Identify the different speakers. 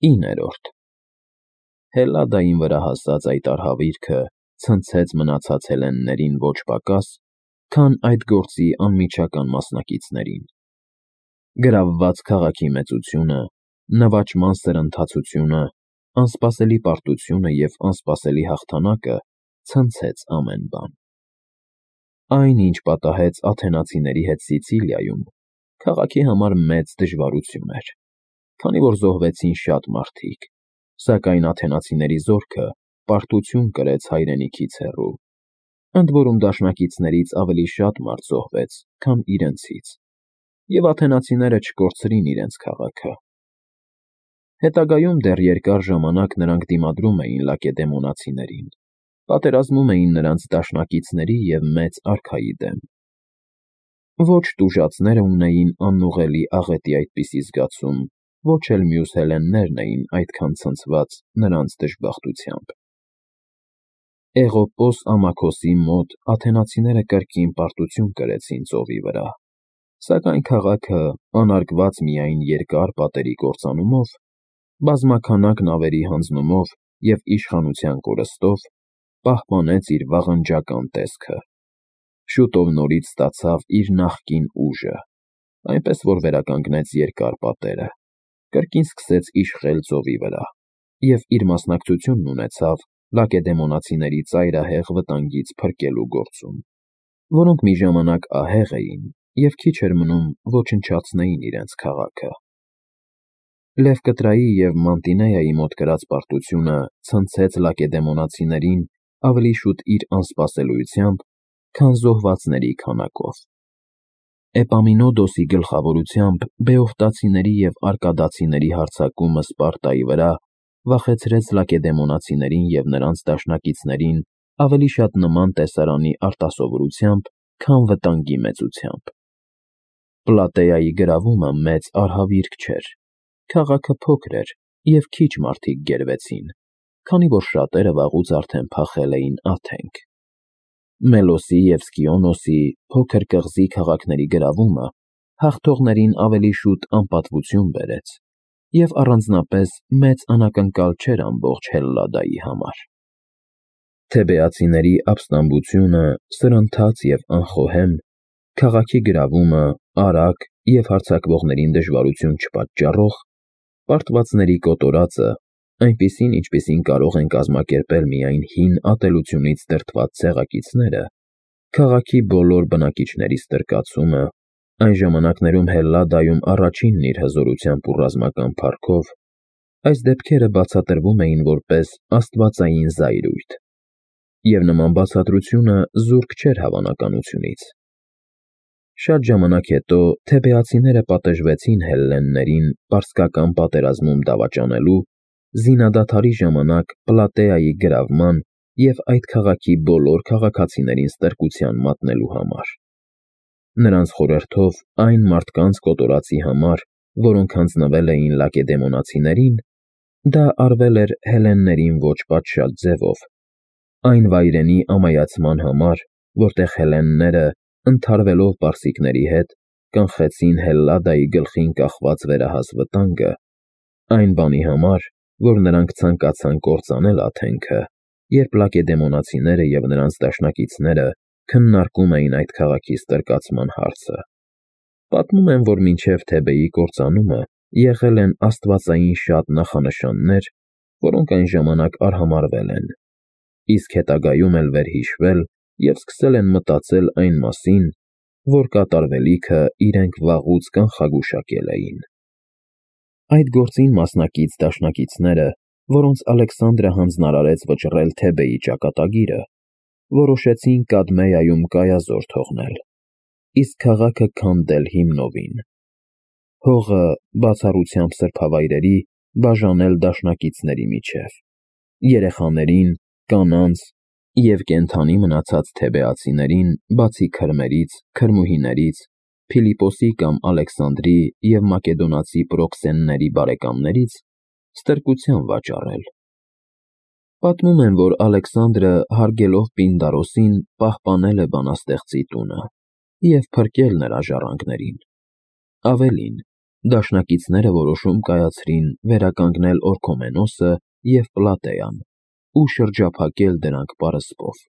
Speaker 1: 9-րդ Հելլադային վրա հասած այդ արհավիրքը ցնցեց մնացած հելլեններին ոչ պակաս, քան այդ գործի անմիջական մասնակիցներին։ Գրավված քաղաքի մեծությունը, նվաճման սրընթացությունը, անսպասելի պարտությունը և անսպասելի հաղթանակը ցնցեց ամեն բան։ Այն, ինչ պատահեց աթենացիների հետ Սիցիլիայում, քաղաքի համար մեծ դժվարություն էր, քանի որ զոհվեցին շատ մարդիկ, սակայն աթենացիների զորքը պարտություն կրեց հայրենիքից հեռու, ընդ որում դաշնակիցներից ավելի շատ մարդ զոհվեց, քան իրենցից, և աթենացիները չկորցրին իրենց քաղաքը։ Հետագայում դեռ երկար ժամանակ նրանք դիմադրում էին լակեդեմոնացիներին, պատերազմում էին նրանց դաշնակիցների և մեծ արքայի դեմ։ Ոչ տուժածները ունեին անուղղելի աղետի այդպիսի զգացում, ոչ էլ մյուս հելլեններն էին այդքան ցնցված նրանց դժբախտությամբ։ Էղոպոս ամաքոսի մոտ աթենացիները կրկին պարտություն կրեցին ծովի վրա, սակայն քաղաքը, անարգված միայն երկար պատերի կործանումով, բազմաքանակ նավերի հանձնումով և իշխանության կորստով, պահպանեց իր վաղնջական տեսքը, շուտով նորից ստացավ իր նախկին ուժը, այնպես որ վերականգնեց երկար պատերը, կրկին սկսեց իշխել ծովի վրա և իր մասնակցությունն ունեցավ լակեդեմոնացիների ծայրահեղ վտանգից փրկելու գործում, որոնք մի ժամանակ ահեղ էին և քիչ էր մնում ոչնչացնեին իրենց քաղաքը։ Լևկտրայի և Մանտինեայի մոտ կրած պարտությունը ցնցեց լակեդեմոնացիներին ավելի շուտ իր անսպասելիությամբ, քան զոհվածների քանակով։ Էպամինոդոսի գլխավորությամբ բեովտացիների և արկադացիների հարձակումը Սպարտայի վրա վախեցրեց լակեդեմոնացիներին և նրանց դաշնակիցներին ավելի շատ նման տեսարանի արտասովորությամբ, քան վտանգի մեծությամբ։ Պլատեայի գրավումը մեծ արհավիրք չէր, քաղաքը փոքր էր և քիչ մարդիկ գերվեցին, քանի որ շատերը վաղուց արդեն փախել էին Աթենք։ Մելոսի և Սկիոնոսի փոքր կղզի քաղաքների գրավումը հաղթողներին ավելի շուտ անպատվություն բերեց և առանձնապես մեծ անակնկալ չէր ամբողջ Հելլադայի համար։ Թեբեացիների ապստամբությունը, սրընթաց և անխոհեմ, քաղաքի գրավումը, արագ և հարձակվողներին դժվարություն չպատճառող, պարտվածների կոտորածը, այնպիսին, ինչպիսին կարող են կազմակերպել միայն հին ատելությունից դրդված ցեղակիցները, քաղաքի բոլոր բնակիչների ստրկացումը, այն ժամանակներում Հելլադայում առաջինն իր հզորությամբ ու ռազմական փառքով, այս դեպքերը բացատրվում էին որպես աստվածային զայրույթ, և նման բացատրությունը զուրկ չէր հավանականությունից։ Շատ ժամանակ հետո թեբեացիները պատժվեցին հելլեններին պարսկական պատերազմում դավաճանելու, զինադադարի ժամանակ Պլատեայի գրավման և այդ քաղաքի բոլոր քաղաքացիներին ստրկության մատնելու համար։ Նրանց խորհրդով այն մարդկանց կոտորածի համար, որոնք հանձնվել էին լակեդեմոնացիներին, դա արվել էր հելլեններին ոչ պատշաճ ձևով, այն վայրենի ամայացման համար, որտեղ հելլենները, ընդհարվելով պարսիկների հետ, կանխեցին Հելլադայի գլխին կախված վերահաս վտանգը, այն բանի համար, որ նրանք ցանկացան կործանել Աթենքը, երբ լակեդեմոնացիները և նրանց դաշնակիցները քննարկում էին այդ քաղաքի ստրկացման հարցը։ Պատմում են, որ մինչև Թեբեի կործանումը եղել են աստվածային շատ նախանշաններ, որոնք այն ժամանակ արհամարհվել են, իսկ հետագայում էլ վերհիշվել և սկսել են մտածել այն մասին, որ կատարվելիքը իրենք վաղուց կանխագուշակել էին։ Այդ գործին մասնակից դաշնակիցները, որոնց Ալեքսանդրը հանձնարարեց վճռել Թեբեի ճակատագիրը, որոշեցին Կադմեայում կայազոր թողնել, իսկ քաղաքը քանդել հիմնովին, հողը բացառությամբ սրբավայրերի բաժանել դաշնակիցների միջև, երեխաներին, կանանց և կենդանի մնացած թեբեացիներին, բացի քրմերից, քրմուհիներից, Փիլիպոսի կամ Ալեքսանդրի և մակեդոնացի պրոքսենների բարեկամներից ստրկության վաճառել։ Պատմում են, որ Ալեքսանդրը հարգելով Պինդարոսին պահպանել է բանաստեղծի տունը և փրկել նրա ժառանգներին։ Ավելին, Դաշնակիցները որոշում կայացրին վերականգնել Օրքոմենոսը և Պլատեան ու շրջափակել դրանք պարսպով։